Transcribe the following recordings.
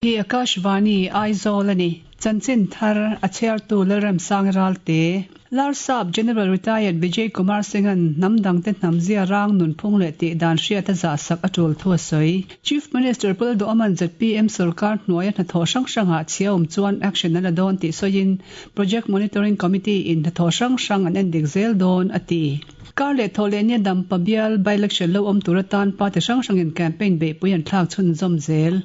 Hi Akashvani, Aizawl a ni. Chanchin thar a chhiartu Lalremsang Ralte. Larsap General Retired Vijay Kumar Singh-a'n hnam dangte hnam zia rang nunphung leh tih dan hriat a zahsak a tul thu a sawi. Chief Minister Pu Lalduhawma'n zpm sorkar hnuaia hnathawh hrang hrangah chhia awm chuan action a la dawn tih sawiin Project Monitoring Committee in hnathawh hrang hrang an endik zel dawn a ti. Kar leh thawh leh nia Dampa bial by-election lo awm tur atan party hrang hrangin campaign beihpui an thlak chhunzawm zel.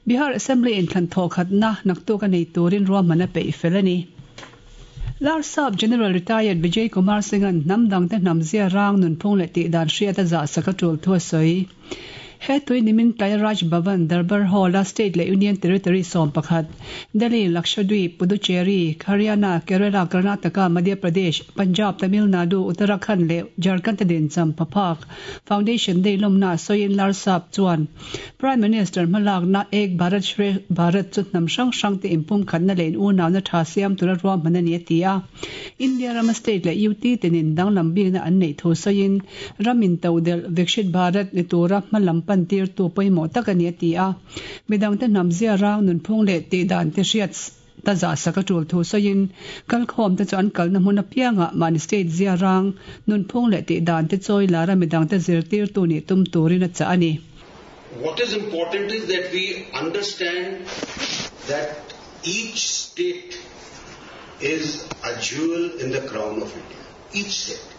Bihar Assembly inthlan thawhkhatna naktuk a nei turin ruahman a peih fel a ni. Larsap General Retired Vijay Kumar Singh-a'n hnam dangte hnam zia rang nunphung leh tihdan hriat a zahsak a tul thu a sawi. He tui nimin tlai Raj Bhavan, Darbar Hall-a State leh Union Territory 11, Delhi, Lakshadweep, Puducherry, Haryana, Kerala, Karnataka, Madhya Pradesh, Punjab, Tamil Nadu, Uttarakhand leh Jharkhand te dincham phaphak Foundation Day lawmna sawiin Larsap chuan Prime Minister hmalakna Ek Bharat Shresth Bharat chu hnam hrang hrang te inpumkhatna leh in-unauna tha siam tura ruahman a ni a ti a. India rama state leh UT tenin danglam bikna an neih thu sawiin ram intodelh Vikshit Bharat ni tura hmalam pan tirtu pawimawh tak a ni a ti a. Midangte hnam zia rang nunphung leh tihdan te hriat ta zahsak a tul thu sawiin kalkhawm te chu an kalna hmun apiangah mahni state zia rang nunphung leh tihdan te chawi lara midangte zirtirtu nih tum turin a chah a ni. What is important is that we understand that each state is a jewel in the crown of India. Each state.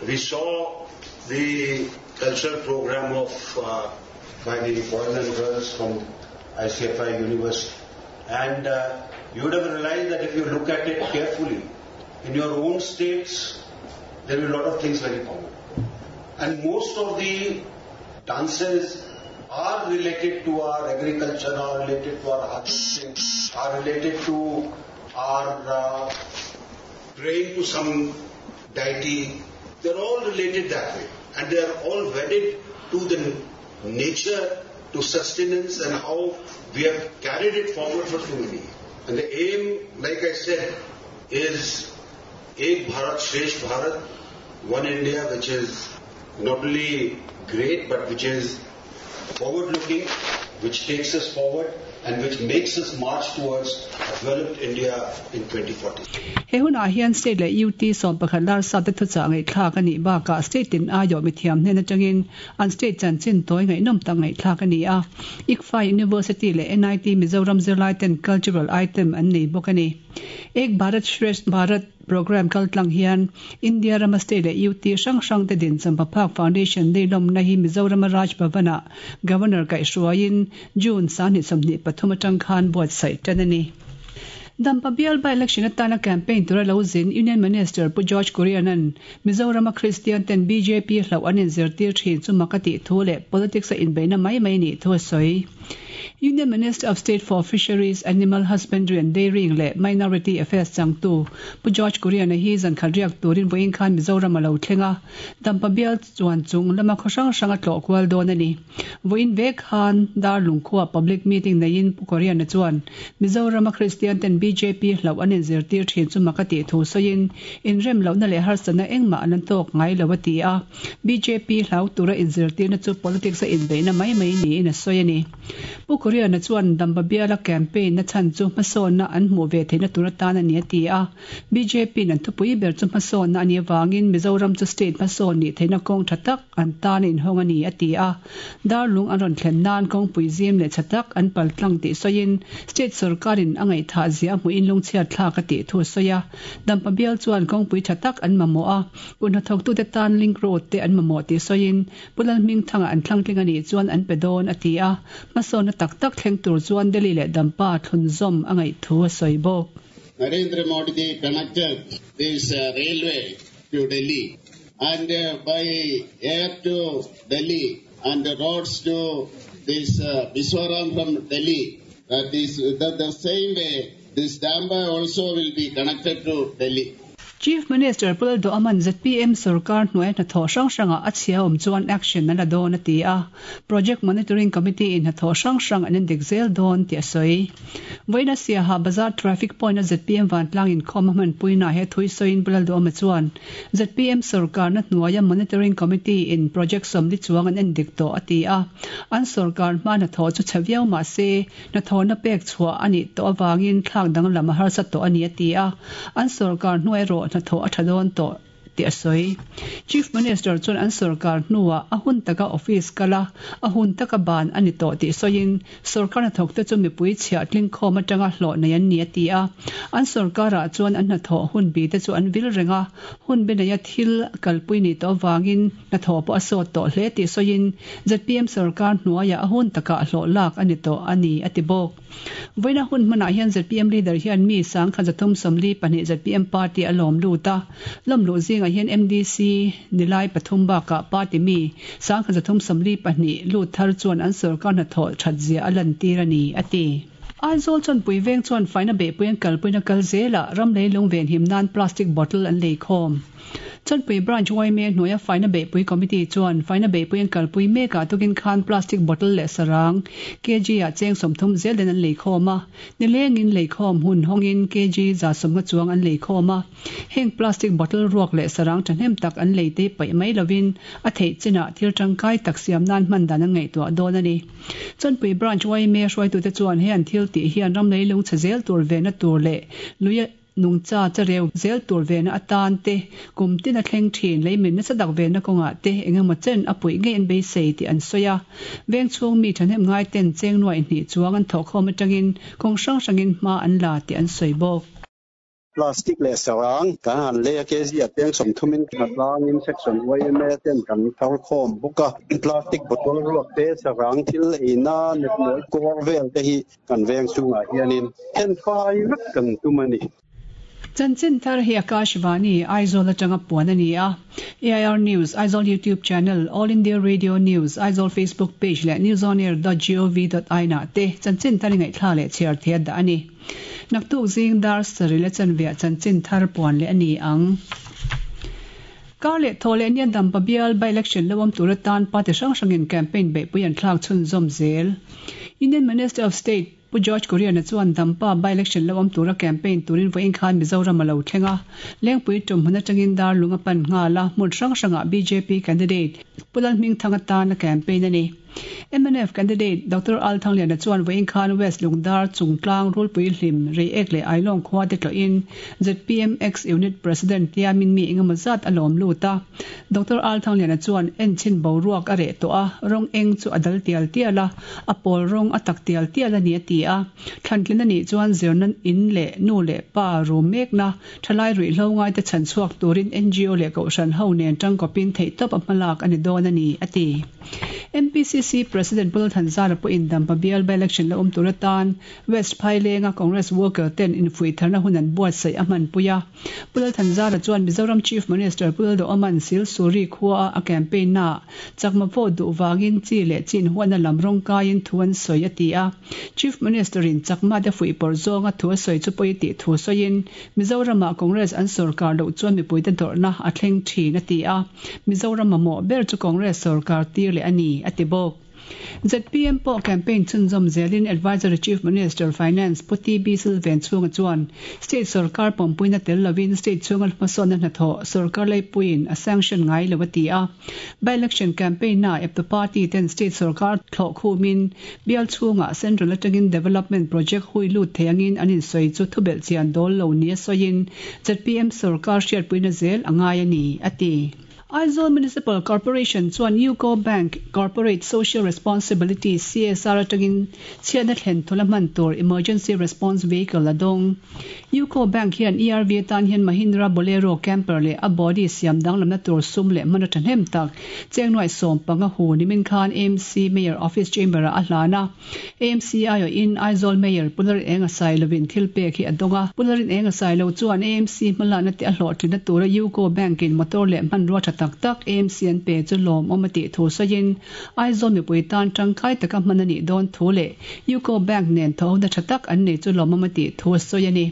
We saw the cultural program of uh, by the boys and girls from ICFI University. And uh, you would have realized that if you look at it carefully, in your own states, there are a lot of things very common. And most of the dances are related to our agriculture, are related to our harvesting, are related to our uh, praying to some deity. They're all related that way. And they are all wedded to the nature, to sustenance and how we have carried it forward for so many years. And the aim, like I said, is Ek Bharat Shresth Bharat, one India which is not only great but which is forward looking, which takes us forward and which makes us march towards a developed India in 2040. He hunah hian State leh UT 11 larsap te thuchah ngaihthlak a nih bakah State tin aiawh mithiam hnen atangin an State chanchin tawi ngaihnawm tak ngaihthlak a ni a. ICFAI University leh NIT Mizoram zirlai ten cultural item an nei bawk a ni. Ek Bharat Shresth Bharat Programme kaltlang hian India rama State leh UT hrang hrang te din Champaphak Foundation Day lawmna hi Mizorama Raj Bhavan-ah Governor kaihhruaiin June 2023 atang khan buatsaih tan a ni. Dampa bial by-election atana campaign tura lo zin Union Minister Pu George Kurian-a'n Mizorama Kristian ten bjp hlauh an inzirtir thin chu mak a tih thu leh politics a inbeihna mai mai nih thu a sawi. Union Minister of State for Fisheries, Animal Husbandry and Dairying leh Minority Affairs changtu Pu George Kurian-a hi zankhat riak turin vawiin khan Mizoram a lo thleng a, Dampa bial chuan chung lama khaw hrang hrang a tlawh kual dawn a ni. Vawiin vek khan Darlung khua public meeting neiin Pu Kurian-a chuan Mizorama Kristian ten bjp hlauh an inzirtir thin chu mak a tih thu sawiin inrem lohna leh harsatna engmah an tawk ngai lo a ti a. Bjp hlau tura inzirtirna chu politics a inbeihna mai mai niin a sawi a ni. Pu Kuriana chuan Damba biala campaign na chhan chu hmasawnna an hmuh ve theihna tur atan a ni a ti a. Bjp in an thupui ber chu hmasawnna a nih avangin Mizoram chu state hmasawn nih theihna kawng tha tak an tan a inhawng a ni a ti a. Darlung an rawn thlen nan kawngpui zim leh tha tak an pal tlang tih sawiin state sorkarin a ngaihthah zia a hmuhin lungchhiat thlak a tih thu a sawi a. Dampa bial chuan kawngpui tha tak an mamawh a. Kut hnathawktute tan link road te an mamawh tih sawiin Pu Lalhmingthanga an thlangtling a nih chuan an pe dawn a ti a, hmasawnna tak tak thleng tur chuan Delhi leh Dampa thlunzawm a ngaih thu a sawi bawk. Narendra Modi connected this railway to Delhi and by air to Delhi and roads to this Mizoram from Delhi that is the same way this Dampa also will be connected to Delhi. Chief Minister Pu Lalduhawma'n zpm sorkar hnuaia hnathawh hrang hrangah a chhia awm chuan action a la dawn a ti a, Project Monitoring Committee in hnathawh hrang hrang an endik zel dawn tih a sawi. Vawiina Siaha Bazar Traffic Point a zpm vantlang inkhawm a hmanpuinaah he thui sawiin Pu Lalduhawma chuan zpm sorkarna hnuaia Monitoring Committee in project sawmli chuang an endik tawh a ti a, an sorkar hma hnathawh chu chhe viau mah se Hnathawhna pek chhuah a nih tawh avangin thlak danglam a harsa tawh a ni a ti a, an sorkar hnuai erawh hnathawh a tha dawn tawh tih a sawi. Chief Minister chuan an sorkar hnuah a hun taka office kal a, a hun taka ban a ni tawh tih sawiin sorkar hnathawkte chu mipui chhiah tlingkhawm atanga hlawh nei an ni a ti a, an sorkarah chuan an hnathawh hun bite chu an vil reng a, hun be neia thil kalpui nih tawh avangin Hnathawh pawh a sawt tawh hle tih sawiin zpm sorkar hnuaiah a hun takah hlawh lak a ni tawh a ni, a ti bawk. Vawiina hun hmanah hian zpm leader hian mi sangkhat 342 zpm party a lawm lut a, lawm luh zingah hian MDC nilai pathum bakah party mi sangkhat 342 lut thar chuan an sorkar hnathawh that zia a lantir a ni, a ti. Aizawl Chawnpui veng chuan faina beihpui an kalpuina kal zelah ram leilung venhim nan plastic bottle an leikhawm. Chawnpui Branch yma hnuaia Faina Beihpui Committee chuan Faina Beihpui an kalpui mekah tukin khan plastic bottle leh sarang kg ah cheng 30 zel den an leikhawm a, nilengin leikhawm hun hawngin kg 150 chuang an leikhawm a. Heng plastic bottle ruak leh sarang thahnem tak an lei te paih mai lovin a theih chinah thil tangkai tak siam nan hman dan an ngaihtuah dawn a ni. Chawnpui Branch yma hruaitute chuan he an thil tih hian ram leilung chhe zel tur vehna tur leh lui Nungcha chareu zel tur vehna atan te, kum tin a thleng thin leimin nasa tak vehna kawngah te eng emaw chen a puih ngei an beisei tih an sawi a. Veng chhung mi thahnem ngai ten cheng nuaih hnih chuang an thawhkhawm atangin kawng hrang hrangin hma an la tih an sawi bawk. Plastic leh sarang kan han lei a, kg a cheng 30 in hnatlangin section yma ten kan thar khawm bawk a. Plastic bottle ruak te, sarang thil eina nepnawi kawr vel te hi Kan veng chungah hianin thenfai vek kan tum a ni. Chanchin thar hi Akashvani, Aizawl atanga puan a ni a. AIR News, Aizawl YouTube Channel, All India Radio News, Aizawl Facebook Page leh newsonair.gov.in ah te chanchin thar i ngaihthlak leh chhiar thei a dah a ni. Naktuk zing dar sarih leh chanveah chanchin thar puan leh a ni ang. Kar leh thaw leh nia Dampa bial by-election lo awm tur atan party hrang hrangin campaign beihpui an thlak chhunzawm zel. Union Minister of State Pu George Kurian-a chuan Dampa by-election lo awm tura campaign turin vawiin khan Mizoram a lo thleng a, Lengpui tum hmun atangin Darlung a pan nghal a, hmun hrang hrangah bjp candidate Pu Lalhmingthanga tan a campaign a ni. Mnf candidate Doctor Al Thangliana chuan vawiin khan West Lungdar, Chungtlang, Rulpui Hlim, Reiek leh Ailawng khua te tlawhin zpm Ex Unit President tiamin mi engemaw zat a lawm lut a. Doctor Al Thangliana chuan enchhin boruak a reh tawh a, rawng eng chu a dal tial tial a, a pawl rawng a tak tial tial a ni a ti a. Thlantlin a nih chuan zirna in leh nu leh pa rum mekna thalai ruihhlo ngaite chhan chhuak turin ngo leh kohhran ho nen tangkawpin theihtawp a hmalak a ni dawn a ni a ti. MPCC President Pu Lalthanzara pawhin Dampa bial by-election la awm tur atan West Phailenga Congress worker ten infuihtharna hun an buatsaih a hmanpui a. Pu Lalthanzara chuan Mizoram Chief Minister Pu Lalduhoma'n Silsuri khuaa a campaign naah chakma vote duh vangin chi leh chin huatna lam rawng kaiin thu an sawi a ti a. Chief Minister in chakma te fuihpawrh zawnga thu a sawi chu pawi tih thu sawiin Mizoramah Congress an sorkar loh chuan mipuite dawrhna a thleng thin a ti a. Mizoram mamawh ber chu Congress sorkar tir leh a ni, a ti bawk. Zpm pawh campaign chhunzawm zelin Advisory Chief Minister, Finance, Pu TB Silven chhunga chuan state sorkar pawmpuina tel lovin state chhunga hmasawnna hnathawh sorkar leipuiin a sanction ngai lo a ti a. By-election campaign-a eptu party ten state sorkar thlawh khumin bial chhungah central atangin development project hui lut thei angin an insawi chu thubelh chian dawl lo nia sawiin zpm sorkar hriatpuina zel a ngai a ni, a ti. Aizawl Municipal Corporation chuan UCO Bank Corporate Social Responsibility, CSR, atangin chhiatna thlen thula hman tur Emergency Response Vehicle a dawng. UCO Bank hian ERV atan hian Mahindra Bolero Camper leh a body siam danglamna tur sum leh hman a thahnem tak cheng nuaih 15 hu nimin khan AMC Mayor Office Chamber-ah a hlan a. AMC aiawhin Aizawl Mayor Pu Larinenga Sailovin thil pek hi a dawng a. Pu Larinenga Sailo chuan AMC hmalakna te a hlawhtlinna tura UCO Bank-in motor leh hmanrua tha tak tak AMC an pe chu lawmawm a tih thu sawiin Aizawl mipui tan tangkai taka hman a nih dawn thu leh UCO Bank nen thawhna tha tak an nei chu lawmawm a tih thu a sawi a ni.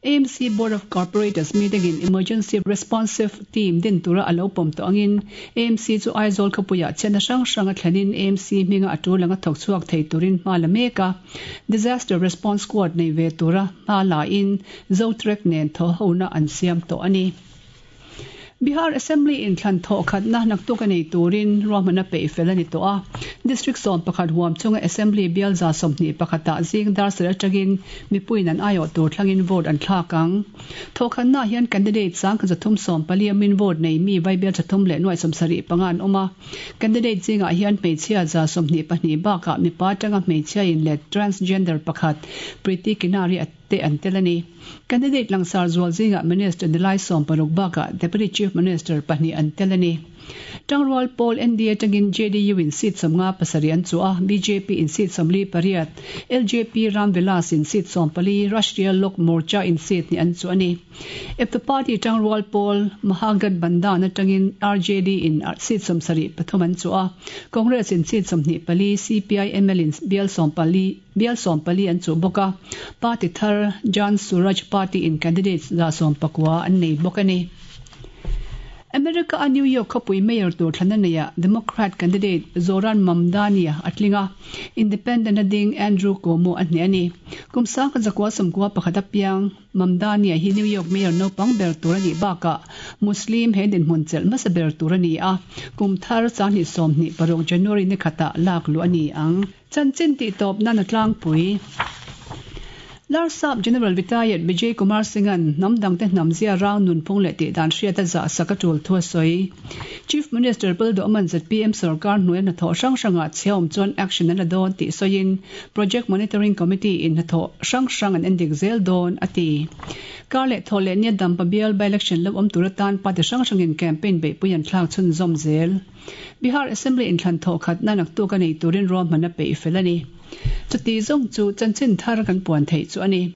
AMC Board of Corporators meeting in Emergency Responsive Team din tura a lo pawm tawh angin AMC chu Aizawl khawpuiah chhiatna hrang hrang a thlenin AMC hminga a tul anga thawk chhuak thei turin hma la mek a. Disaster Response Squad nei ve tura hma la in Zotrek nen thawhhona an siam tawh a ni. Bihar Assembly inthlan thawh khatna naktuk a nei turin ruahmanna peih fel a ni tawh a. District 11 huam chunga Assembly bial 21 ah zing dar sarih atangin mipuiin an aiawh tur thlangin vote an thlak ang. Thawh khatnaah hian candidate 1314 awmin vote nei mi vaibel 375 an awm a. Candidate zingah hian hmeichhia 22 bakah mipa atanga hmeichhia in leh transgender pakhat Preeti Kinari a te an tel a ni. Candidate langsar zual zingah Minister nilai 60 bakah Deputy Chief Minister pahnih an tel a ni. Tangrual pawl NDA atangin JDU in seat 57 an chu a, BJP in seat 48, LJP Ram Vilas in seat 14, Rashtriya Lok Morcha in seat ni an chu a ni. Eptu party Tangrual pawl Mahagathbandhan atangin RJD in seat 73 an chu a, Congress in seat 24, CPI ML in bial 14 bial 14 an chu bawk a, party thar Jan Suraj Party in candidates 119 an nei bawk a ni. America a New York khawpui mayor tur thlana neia Democrat candidate Zohran Mamdani a tling a, Independent a ding Andrew Cuomo a hneh a ni. Kum 1991 a piang Mamdani hi New York mayor naupang ber tur a nih bakah Muslim he dinhmun chelh hmasa ber tur a ni a, kum thar 2026 January ni khatah lak luh a ni ang. Chanchin tih tawp nan a tlangpui. Larsap General Retired Vijay Kumar Singh-a'n hnam dangte hnam zia rang nunphung leh tih dan hriat a zah sak a tul thu a sawi. Chief Minister Pulduhman zpm sorkar hnuaia hnathawh hrang hrangah chhia awm chuan action an la dawn tih sawiin Project Monitoring Committee in hnathawh hrang hrang an endik zel dawn a ti. Kar leh thawh leh nia Dampa bial by-election lo awm tur atan party hrang hrangin campaign beihpui an thlak chhunzawm zel. Bihar Assembly inthlan thawh khatna naktuk a nei turin ruahman a peih fel a ni. Chuti zawng chu chanchin thar kan puan theih chu a ni.